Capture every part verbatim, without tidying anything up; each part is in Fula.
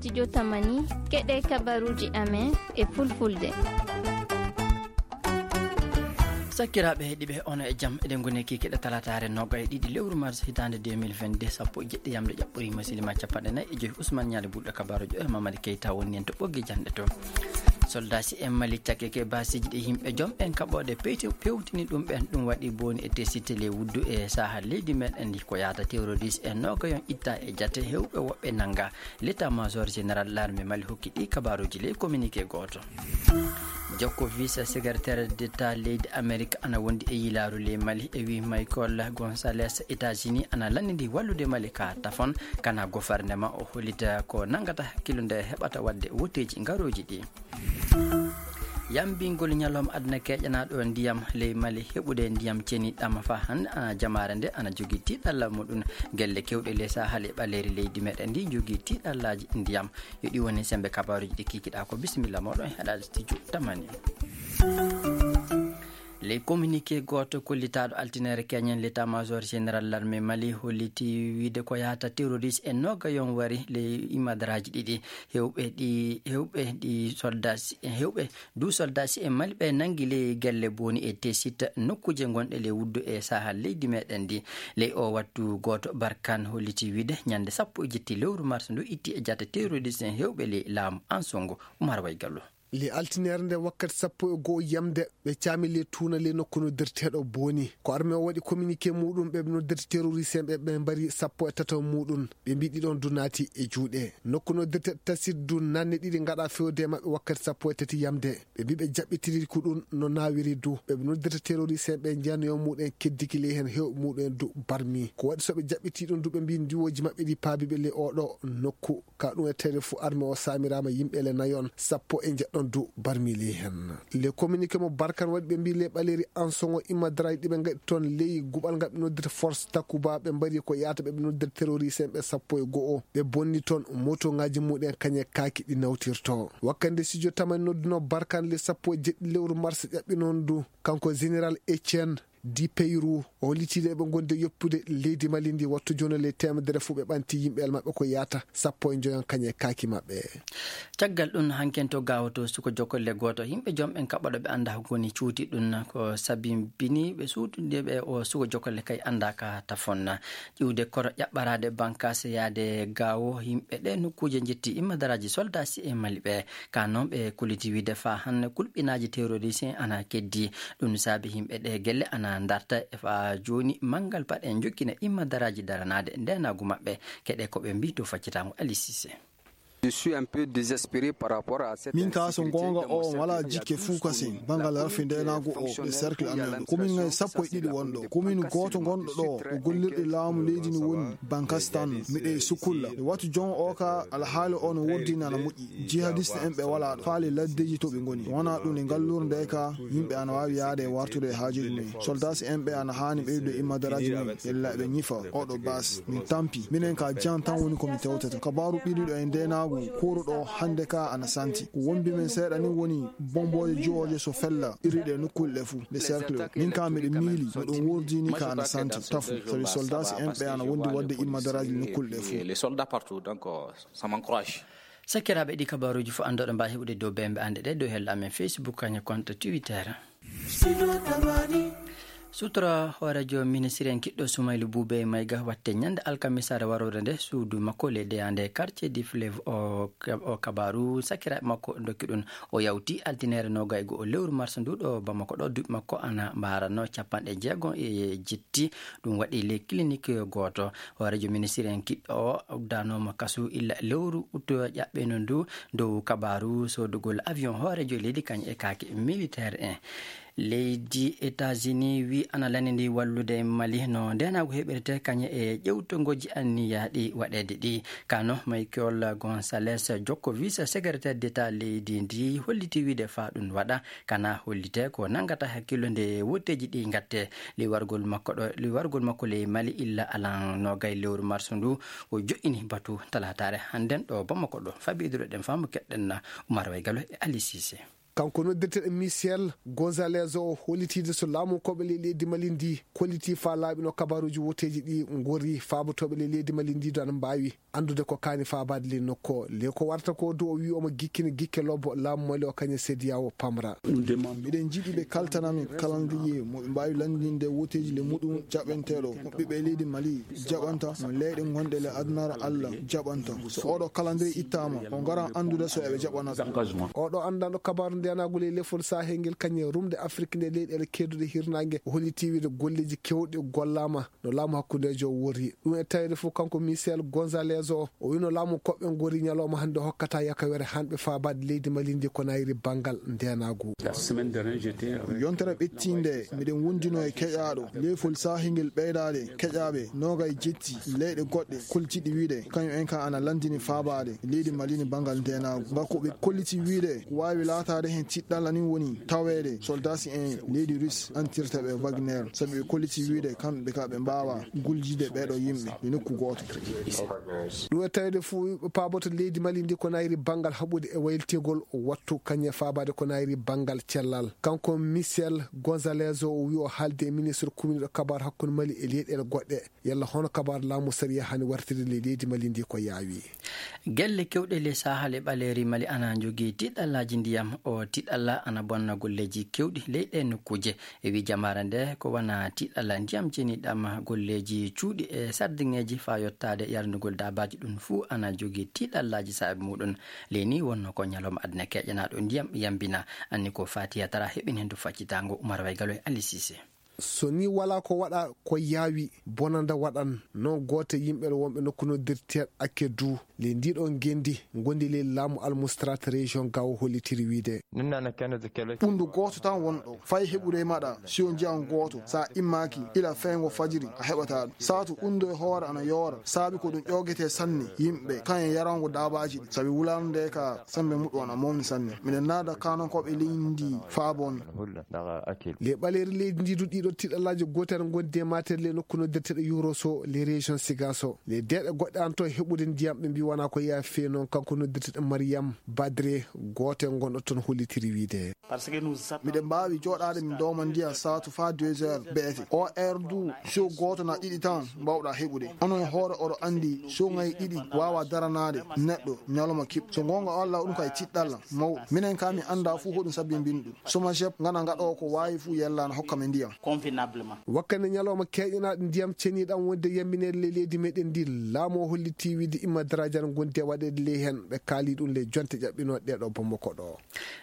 Studio Tamani, keɗe kabaruuji amen e fulfulde. Sakkiraaɓe heɗiiɓe, ono e jam. Eɗen ngoni kikiɗe talataare nogay ɗiɗi lewru mars hitaande deux mille vingt-deux, sappo e jeɗɗi yamde ƴaɓɓoriima silima capanɗe nayi e joyi. Ousmane Ñaali Bulɗo kabaruujo e Mamadi Keita woni en to ɓoggi jannde to. Soldaaji en Mali cakkeke baasiiji ɗi yimɓe joom ɓen kaɓooɗe peyti-, pewtini ɗum ɓen. Ɗum waɗi booni e tesite ley wuddu e saha leydi meɗen ndi ko yaata terroriste en nogayon itta e jate hewɓe woɓɓe nanga. L'état major général l'armée Mali hokki ɗi kabaruuji ley communiqué gooto. Jokko vice secrétaire d'état leydi Amérique ana wondi e yilaaru ley Mali e wi Michael Gonzalez États-Unis ana lanndidi wallude Mali ka tafon kana gouvernement o hollita ko nangata hakkillo nde heɓata waɗde woteeji ngarooji ɗi. Yambingol ñalawma aduna keƴanaaɗo ndiyam ley Mali heɓude ndiyam ceniɗam fa hannde ana jamaare nde ana jogii tiiɗalla muɗum. Gelle kewɗe ley Sahel e ɓaleeri leydi meɗen ndi jogii tiiɗallaaji ndiyam. Yo ɗi woni sembe kabaruuji ɗi kikiɗaa ko. Bisimilla moɗon e haɗaade studio Tamani. Ley communiqué gooto kollitaaɗo altineere keñen l'état major général l'armée Mali holliti wiide ko yaata terroriste en nogayon wari ley imadaraaji ɗiɗi. Hewɓe ɗi, hewɓe ɗi soldats, hewɓe du soldats en Mali ɓe nangi ley gelle booni e tesite nokkuuje gonɗe ley wuddu e Sahel leydi meɗen ndi. Ley o wattu gooto Barkan holliti wiide ñande sappo e jetti lewru mars ndu itti e jate terroriste en hewɓe ley laamu Ansongo. Umar Waygallo. Le altineere nde wakkati sappo e go'o yamde, ɓe caami le tuuna le nokku noddirteeɗo booni. Ko armée o waɗi communiqué muɗum, ɓe noddirte terroriste en ɓe, ɓe mbari sappo e tato muɗum. Ɓe mbi ɗiɗon du naati e juuɗe. Nokku noddirteeɗo tasir du nanne ɗiɗi ngaɗa fewde e maɓɓe wakkati sappo e tati yamde. Ɓe mbi ɓe jaɓɓitiri ko ɗum no nawiri du. Ɓe noddirte terroriste en ɓe njanoyo muɗen keddiki ley hen hew muɗum en du barmi. Ko waɗi so ɓe jaɓɓiti ɗum du ɓe mbi ndiwoji maɓɓe ɗi paabi ɓe le oɗo nokku. Ka ɗum e tawde fof armée o saamiraama yimɓe le nayon, sappo e njeɗɗon du barmi ley hen. Le communiqué mo Barkan waɗi ɓe mbi le ɓaleeri Ansongo imma daraji ɗi ɓe ngaɗi toon ley guɓal ngal ɓe noddirta force Takuba ɓe mbari ko yaata ɓe ɓe noddirta terroriste en ɓe sappo e go'o. Ɓe bonni toon moto ngaji muɗen kañe kaaki ɗi nawtirto. Wakkande studio Tamani nodduno Barkan le sappo e jeɗɗi lewru mars ƴaɓɓi noon du kanko général Etienne Di Peyru, o holliti le ɓe gondi e yoppude leydi Mali ndi wattu jono le temedere fof ɓe ɓanti yimɓe el maɓɓe ko yaata sappo e njoyon kañe e kaaki maɓɓe. Caggal ɗum, hanken to Gaawo to suko jokolle gooto, yimɓe joom ɓen kaɓɓoɗo ɓe annda ko woni cuuti ɗum ko sabibini ɓe suutude ɓe o suko jokolle kay annda ka tafonna. Ƴiwde koro ƴaɓɓaraade bankas yaade Gaawo, yimɓe ɗe nokkuuje njetti immadaraaji soldat si e Mali ɓe. Ka noon ɓe kulliti wiide faa hannde kulɓinaaji terroriste en ana keddi. Ɗum saabi yimɓe ɗe gelle ana darta e faa jooni manngal paɗe jokkina immadaraaji daranaade ndeenaagu maɓɓe. Keɗe ko ɓe mbii to faccitaango Ali Cissé. Je suis un peu désespéré par rapport à cette Min ka so insécurité. Goonga o wala jikke fuu kasen bangal rafi ndeenaagu o e cercle amen. Komin ngay sappo e ɗiɗi wonɗo. Komin gooto gonɗo ɗo ko gollirɗe laamu leydi ni woni Bankastan. Miɗo e Sukulla. E wattu jon o ka alhaali o no woddini ana moƴƴi. Jihadiste en ɓe wala ɗo. Faale laddeji to ɓe ngoni. Wona ɗum e ngallure nde ka yimɓe ana waawi yaade e wartude e haajuji mum. Soldats en ɓe ana haani ɓeydude immadaraaji mum. Yalla ɓe ñifa. Oɗo bas. Min tampi. Minen ka jan tan woni ko mi tewtata. Kabaaru ɓiɗuɗo e ndeenaagu kuuruɗo hannde ka ana santi. Ko wombi men seeɗa ni woni bombooje jiwooje so fella irriɗe nokkuule ɗe fuu. Nde cercle o. Min ka miɗo miili, miɗo wurdini ka ana santi. Tafu. Sabi soldats en ɓe ana wondi wadde immadaraaji nokkuule ɗe fuu. Les soldats partout, donc, euh, ça m'encourage. Sakiraaɓe, ɗi kabaaruuji fof anndoɗo mbaawi heɓude dow bembe annde ɗe dow hella amen Facebook, kañum compte Twitter. Sutora hooreejo ministre en kiɗɗo Soumaïla Boubèye Maïga watte ñande alkamisaare warore nde suudu makko le deyande quartier du fleuve o, o kabaaru sakiraaɓe makko dokki ɗum. O yawti altine noogay e go'o lewru mars ndu ɗo Bamako ɗo duuɓi makko ana mbaarano capanɗe jeego e jetti. Ɗum waɗi le clinique gooto. Hooreejo ministre en kiɗɗo o uddanooma kasu illa lewru utto ƴaɓɓeno ndu dow kabaaru soodugol avion hooreejo leydi kañ e kaake militaire en. Leydi États-Unis wi ana lanndi wallude Mali no ndeenaagu heɓirte kañ e ƴewtogooji anniyaaɗi waɗeede ɗi. Kano Michael Gonzalez Jokko, vice secrétaire d'État leydi ndi, holliti wiide faa ɗum waɗa kana hollite ko nanngata hakkillo nde wotteeji ɗi ngatte. Liwargol makko ɗo, liwargol makko ley Mali illa alan noogay lewru mars ndu, o jo'ini batu talaataare hannden ɗo Bamako ɗo. Fabidiro ɗen faamu keɗɗen na Umar Waygalo e Ali Cissé. Kanko noddirteɗo Michel Gonzalez o hollitiide so laamu koɓe ley leydi Mali ndi kolliti faa laaɓi no kabaaruuji woteeji ɗi ngori, faabotooɓe ley leydi Mali ndi do ana mbaawi anndude ko kaani faabaade ley nokku o. Ley ko warata ko du o wi'i omo gikkini gikke lobbo laamu Mali o kañum sediya o pamra. Miɗen njiɗi ɓe kaltana min kalandiriye mo ɓe mbaawi lanndinde woteeji le muɗum jaɓenteeɗo mo ɓiɓɓe leydi Mali jaɓanta, mo leyɗe gonɗe le adunaaru Allah jaɓanta. So oɗo kalandiriye ittaama, o ngaran anndude so eɓe jaɓana ɗum. Oɗo anndanɗo kabaaru ndeyanaagu ley lefol Sahel ngel kañum e rumde Afrik nde leyɗeele keeduɗe hirnaange, o holliti wiide golleeji keewɗi gollaama no laamu hakkundeejo o wori. Ɗum e taweede fof, kanko Michel Gonzalez o, o wino laamu koɓɓe ngori ñalawma hannde hokkata yakawere hanɓe faabaade leydi Mali ndi ko nayri banngal ndeyanaagu. Yontere ɓettiinde, miɗen wondino e keƴaaɗo leyfol Sahel ngel ɓeydaade keƴaaɓe noogay jetti leyɗe goɗɗe koltiɗi wiide kañum en ka ana lanndini faabaade leydi Mali ni banngal ndeyanaagu. Ngal ko ɓe kolliti wiide ko waawi laataade heen tiɗɗalla ni woni taweede soldaasi en leydi Russe antirta ɓe Wagner, sabi ɓe kolliti wiide kamɓe ka ɓe mbaawa guljide ɓeeɗo yimɓe e nokku gooto. Ɗum e taweede fof ɓe paaboto leydi Mali ndi ko nayri banngal haɓude e wayltigol wattu kañum e faabaade ko nayri banngal cellal. Kanko Michel Gonzalez o, o wi'i o haalde e ministre kuminiiɗo kabaaru hakkunde Mali e leyɗeele goɗɗe. Yalla hono kabaaru laamu sariya hani wartirde ley leydi Mali ndi ko yaawi? Gelle kewɗe ley Sahel e ɓaleeri Mali ana njogii tiɗɗallaaji ndiyam. O tiɗɗalla ana bonna golleeji kewɗi ley ɗee nokkuuje. E wii jamaare nde, ko wona tiɗɗalla ndiyam ceniɗam, golleeji cuuɗi e sardiŋeeji faa yottaade yarnugol daabaaji ɗum fuu ana jogii tiɗɗallaaji saabi muɗum. Ley ni wonno ko ñalawma aduna keƴanaaɗo ndiyam yambina. Anni ko Fatiya Tara heɓin heen du faccitaango Umar Waygalo e Ali Sise. So ni walaa ko waɗa ko yaawi, bonanda waɗan. Noon gooto e yimɓe wonɓe nokku noddirteeɗo Akedu ley ndii ɗoo ngenndi ngondi ley laamu Almustrat région Gao hollitiri wiide. Ɓunndu gooto tan won ɗo, fay heɓude e maɗa, siyo njiyan gooto, so a immaaki, ila feyngo fajiri, a heɓataa ɗum. Saatu ɓunndu e hoore ana yoora, saabi ko ɗum ƴoogetee sanne, yimɓe, kañum e yarango daabaaji ɗi, sabi wulaande ka, semmbe muɗum ana mawni sanne. Miɗen naada kaanankooɓe leydi ndi faa bon. Ley ɓaleeri leydi ndi du, ɗiɗo tiɗallaaji gootere ngondi e maatere ley nokku noddirteeɗo Yoroso, ley région Sigaso. Ley deeɗe goɗɗe ana to heɓude ndiyam, ɓe mbii wonaa ko yaafi fee noon, kanko noddirteeɗo Mariyam Badre, gooto e gonɗo toon hollitiri wiide. Miɗen mbaawi jooɗaade min dooma ndiyam saatu faa deux heures beete. O heure du, siyo gooto naa ɗiɗi tan mbaawɗaa heɓude. Onon e hoore oɗo anndi siyo ŋayi ɗiɗi waawaa daranaade neɗɗo ñalawma kiɓɓo. So goonga Allah, ɗum kay tiɗɗalla mawɗo. Minen kaa min anndaa fuu hoɗum sabbinbini ɗum. Somajep ngana ngaɗoo ko waawi fuu yella na hokka men ndiyam. Wakkati ñalawma keeƴanaaɗo ndiyam ceniiɗam wonde yammineede ley leydi meɗen ndi, laamu o holliti wiide imma darajal ngondi e waɗeede ley heen, ɓe kaali ɗum ley jonte ƴaɓɓinooɗe ɗee ɗoo Bamako ɗoo.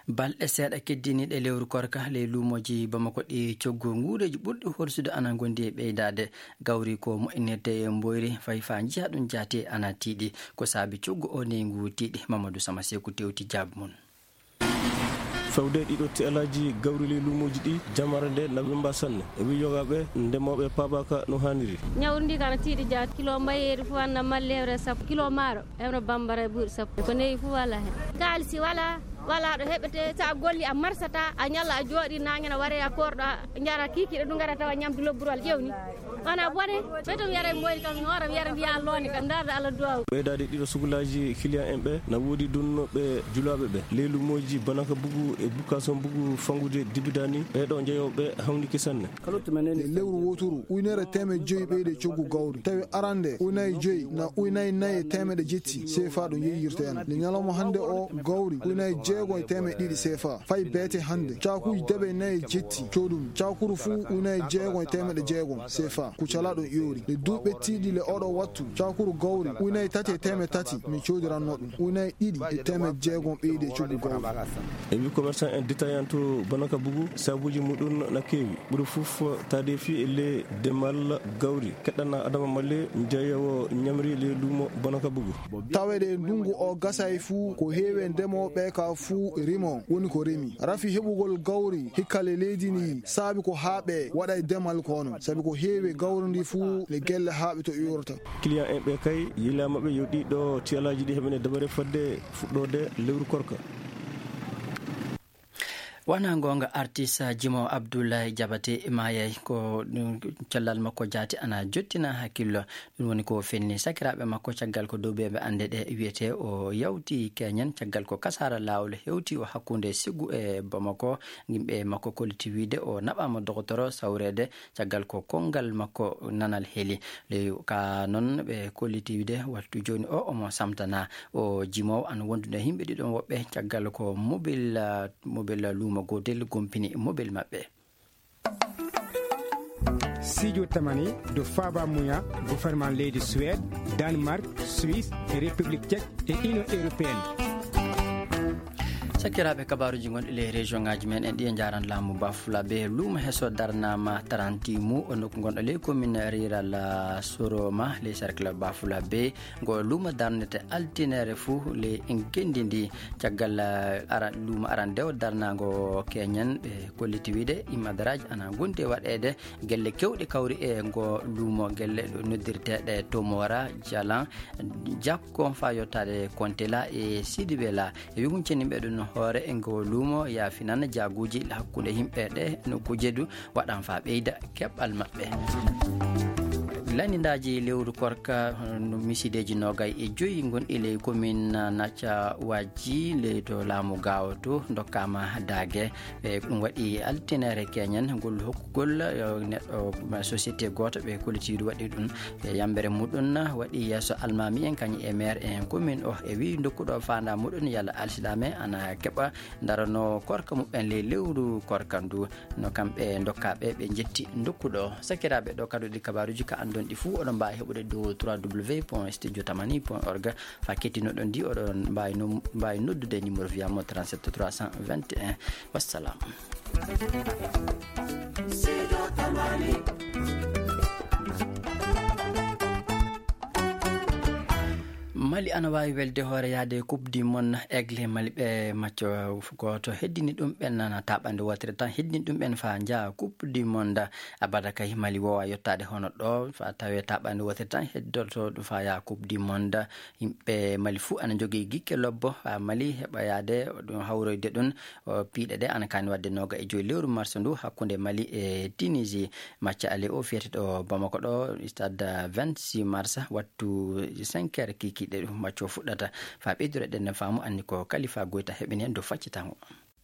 Balɗe seeɗa keddiniiɗe lewru korka ley luumooji Bamako ɗi coggu nguureeji ɓurɗi horsude ana ngondi e ɓeydaade. Gawri ko moƴƴinirtee e mboyri, fay faa njiyaa ɗum jaati ana tiiɗi. Ko saabi coggu o neyngu tiiɗi, Mamadou Sama Seeku tewti jaabi mum. Fewde ɗiɗo tiɗallaaji gawri ley luumooji ɗi, jamaare nde na wemmba sanne. E wii yogaaɓe ndemooɓe paabaaka no haaniri. Ñawri ndi ka na tiiɗi jaati. Kilo mbayeeri fof ana malli hewre sappo. Kilo maaro hewre bambara e buuɗi sappo. Ko neyi fof walaa heen. Kaalisi walaa, walaa ɗo heɓetee. So a golli a marsataa, a ñalla a jooɗii, naange na waree a koorɗo, a njara kiikiiɗe ɗum ngara tawa ñamdu lobburwal ƴewni. Wona bone, ɓe to mi yara e moyri kam, mi hoora mi yara mbiya an loonde kam, ndaarde Allah duwaw. Ɓeydaade ɗiɗo sugulaaji kiliyan en ɓe, na woodi dunnooɓe julaaɓe ɓe. Ley luumooji Banaka Bugu e Bukason Bugu fanngude dibidani, ɓee ɗoo njeyooɓe hawnike sanne. E lewru wooturu, ujunere teemeɗe joyi ɓeyde coggu gawri. Tawi arande, ujunaji joyi na ujunaji nayi e teemeɗe jetti seefa ɗum yeeyirta en. Nde ñalawma hannde o gawri, ujunaji jeego e teemeɗe ɗiɗi seefa. Fay beete hannde, caakuuji debe nayi e jetti coodumi. Caakuru fuu ujunaji jeego e teemeɗe jeego seefa. Kucala ɗo ƴoori. Nde duuɓi ɓettiiɗi le oɗo wattu, caakuru gawri ujunaji tati e teemeɗe tati mi coodiranno ɗum. Ujunaji ɗiɗi e teemeɗe jeego ɓeydi e coggu gawri. E wi commerçant en détaillant to Banaka Bugu, sabuuji muɗum na keewi. Ɓuri fof taadeefi e le demal gawri. Keɗɗana Adama Male, njeeyowo ñamri le luumo Banaka Bugu. Taweede e ndunngu o gasay fuu, ko heewi e ndemooɓe ka fuu rimo woni ko remi. Rafi heɓugol gawri hikka le leydi ndi saabi ko haaɓe waɗa e demal kono, sabi ko heewi e gawri ndi fuu le gelle haaɓe to iwrata. Client en ɓe kay yilaama ɓe yo ɗiɗo tiyalaaji ɗi heɓene dabare fadde fuɗɗoode lewru korka. Wona goonga, artiste jimo Abdoulaye Diabaté maayay ko ɗum cellal makko jaati ana jottina hakkillo. Ɗum woni ko fenni sakiraaɓe makko caggal ko dow ɓe ɓe annde ɗe wiyete o yawti keñen caggal ko kasara laawol hewti o hakkunde Ségou e Bamako. Yimɓe makko kolliti wiide o naɓaama dogotoro sawreede caggal ko kongal makko nanal heli. Ley ka noon ɓe kolliti wiide wattu jooni o omo samtana o jimowo ana wondude himɓe ɗiɗon woɓɓe caggal ko mobil, ah, mobil luumo gootel gompini mobil maɓɓe. Sijo tamani do faba muya gouvernement leydi Suède, Danemark, Suisse e République Tchèque e Union Européenne. Sakiraaɓe, kabaaruuji gonɗi ley région ŋaaji men en ɗi e njaran laamu Bafulabe. Luumo heso darnaama taranti mu o nokku gonɗo ley commune rural, ah, Soroma ley cercle Bafulabe. Ngo luumo darnete altinere fuu ley ngenndi ndi. Caggal, ah, ara-, luumo arandewo darnaango keñen ɓe kolliti wiide imadaraaji ana gondi e waɗeede gelle kewɗe kawri e ngo luumo, gelle ɗo noddirteeɗe Tomora, Jalan, Jakko faa yottaade Kontela e Sidibela. E wi huncani ɓe ɗum hoore e ngo luumo yaafinan jaaguuji hakkunde yimɓe ɗe no kujedu waɗan faa ɓeyda keɓal maɓɓe. Lanndindaaji lewru korka, no misideeji noogay e joyi gonɗi ley commune Nacca Wajji ley to laamu Gaawo to ndokkaama daage. E ɗum waɗi altinere keñen ngol hokkugol, eh, neɗɗo, ma, société gooto ɓe kolliti waɗi ɗum. E yambere muɗum waɗi yeeso almaami en kañum e maire en commune o e wi ndokkuɗo faanda muɗum yalla alsilaame ana keɓa darano korka muɓɓen ley lewru korka ndu. No kamɓe ndokkaaɓe ɓe njetti ndokkuɗo. Sakiraaɓe, ɗo kadi ɗi kabaaruuji ka anndon ɗi fuu oɗon mbaawi heɓude dow trois w point studio tamani point org. Faa kettinoɗon ndi oɗon mbaawi no-, mbaawi noddude numéro viyamo trente-sept trois cent vingt et un. Wassalam. Mali ana waawi welde hoore yaade Coupe du Monde. Aigle Mali ɓe macco gooto heddini ɗum ɓen nana taɓande wootere tan heddini ɗum ɓen faa njaha Coupe du Monde. Abada kay Mali woowa yottaade hono ɗo faa tawe taɓande wootere tan heddoto ɗum faa yaha Coupe du Monde. Yimɓe Mali fuu ana njogii gikke lobbo faa Mali heɓa yaade ɗum hawroyde ɗum. O piiɗe ɗe ana kaani waɗde nooga e joyi lewru mars ndu hakkunde Mali e Tunisie. Macca ale o fiyete ɗo Bamako ɗo, stade vingt-six mars, wattu cinq heures kikiiɗe ɗum macco fuɗɗata. Faa ɓeydude ɗen faamu anni ko Kalifa Goyta heɓini en dow faccitango.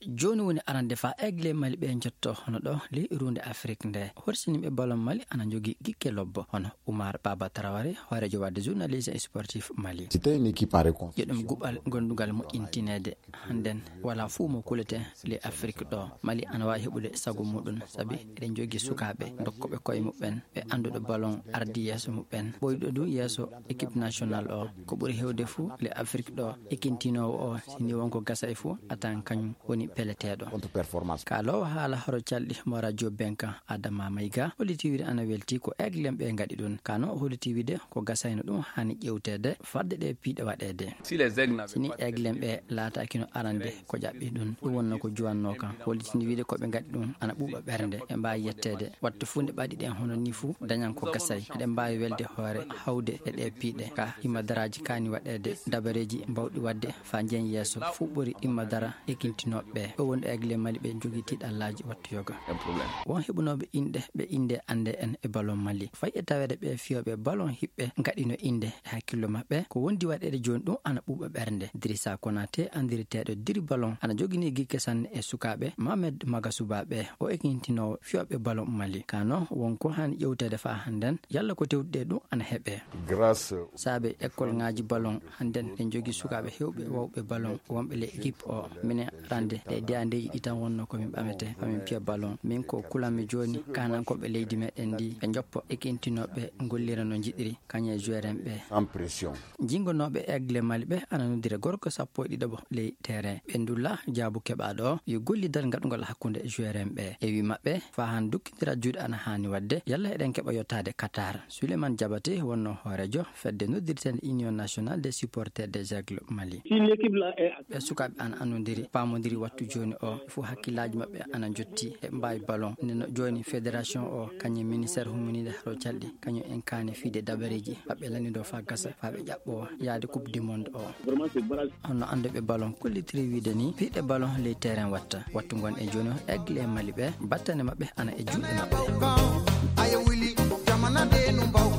Jooni woni arande faa Aigle Mali ɓe njotto hono ɗo ley runde Afrik nde. Horsiniiɓe ballon Mali ana njogii gikke lobbo hono Oumar Baba Traoré, hooreejo waɗde journaliste et sportif Mali. C'était une équipe en reconstruction. Yo ɗum guɓal gondugal moƴƴintineede. Hannden, walaa fuu mo kulete ley Afrik ɗo. Mali ana waawi heɓude sago muɗum, sabi eɗen njogii sukaaɓe dokkooɓe koye muɓɓen, ɓe annduɓe ballon ardi yeeso muɓɓen. Ɓoyɗo du yeeso équipe nationale o, ko ɓuri heewde fuu ley Afrik ɗo, ekintinoowo o, si ni won ko gasa e fuu, a tawan kañum woni peleteeɗo. Contre-performance. Kaaloowo haala horo calɗi mo radio Benka, Adama Maïga, holliti wiide ana welti ko Aigle ɓe ngaɗi ɗum. Kano o holliti wiide ko gasayno ɗum haani ƴewteede fadde ɗe piiɗe waɗeede. Si les aigles n'avaient Si ni pas Aigle ɓe laataakino arande ko ƴaɓɓi ɗum, ɗum wonno ko juwannoo kam. Hollitini wiide ko ɓe ngaɗi ɗum ana ɓuuɓa ɓernde. Ɓe mbaawi yetteede. Wattu fuu nde ɓaɗi ɗen hono nii fuu dañan ko gasay. Eɗen mbaawi welde hoore hawde e ɗe piiɗe. Ka himma daraaji kaani waɗeede dabareeji mbawɗi waɗde faa njeyen yeeso fuu ɓuri imma dara ekintinooɓe ɓe. Ɗo wonde Aigle Mali ɓe njogii tiiɗallaaji wattu yoga. Un problème. Won heɓunooɓe inɗe ɓe innde annde en e ballon Mali. Fayi e taweede ɓe fiyooɓe ballon hiɓɓe ngaɗino innde e hakkillo maɓɓe. Ko wondi waɗeede jooni ɗum ana ɓuuɓa ɓernde. Dirisa Konate anndiriteeɗo Diri Ballon ana jogini gikke sanne e sukaaɓe Mohamed Magasuba ɓe. O ekintinoowo fiyooɓe ballon Mali. Kano won ko haani ƴewteede faa hannden yalla ko tewtude ɗum ana heɓe. Grâce Saabe école ŋaaji ballon hannden en njogii sukaaɓe heewɓe wawɓe ballon wonɓe ley équipe o. Minen arande ɗe deyandeeji ɗi tan wonno ko min ɓamete ko min piya ballon. Min ko kulanmi jooni kanankooɓe leydi meɗen ndi ɓe njoppo ekintinooɓe ngollira no njiɗiri kañum e joueur en ɓe. Sans pression. Jingonooɓe Aigle Mali ɓe ana noddira gorko sappo e ɗiɗaɓo ley terrain. Ɓe ndulla jaabu keɓaaɗo o yo gollidal ngaɗungol hakkunde joueur en ɓe. E wi maɓɓe, faa han dukkindira juuɗe ana haani waɗde, yalla eɗen keɓa yottaade Qatar. Souleymane Diabaté wonno hooreejo fedde noddirteende Union Nationale des Supporters des Aigles Mali. Si l'équipe là est Ɓe sukaaɓe ana anndondiri, paamondiri wattu Wattu jooni o fof hakkillaaji maɓɓe ana njotti e mbaawi ballon. Nde no jooni fédération o kañum ministère humminiiɗo haro calɗi, kañum en kaani fiide dabareeji maɓɓe lannidoo faa gasa, faa ɓe ƴaɓɓoo yaade coupe du monde o. Honno annduɓe ballon kollitiri wiide ni, piiɗe ballon ley terrain watta. Wattu ngon e jooni o, aigle e Mali ɓe, battane maɓɓe ana e juuɗe maɓɓe. Aye wuli, jamana de no mbaw.